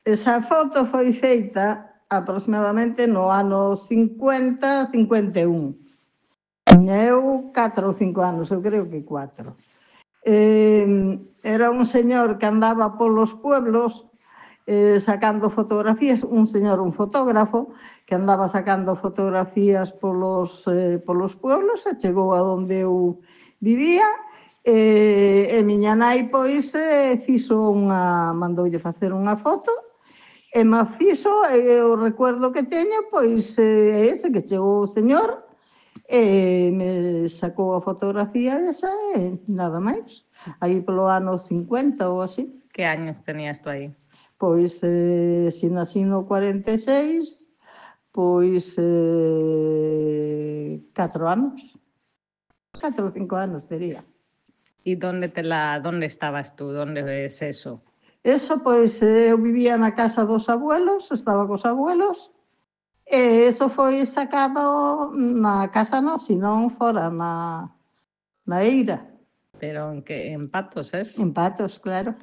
Esa foto foi feita aproximadamente no ano 50, 51. Tiña eu 4 ou 5 anos, eu creo que 4. Era un señor que andaba polos pueblos sacando fotografías, un señor, un fotógrafo, que andaba sacando fotografías polos pueblos e chegou a onde eu vivía e miña nai, pois, mandoulle facer unha foto e me fixo, e o recuerdo que teño, pois, é ese, que chegou o señor e me sacou a fotografía esa e nada máis. Aí polo ano 50 ou así. Que años tenías tú aí? Pois, se nací no 46, pois 4 anos. 4 ou 5 anos, diría. E donde estabas tú? Donde es eso? Eso, pois, eu vivía na casa dos abuelos, estaba cos abuelos, e eso foi sacado na casa non, senón fora na eira. Pero en Patos, es? En Patos, claro.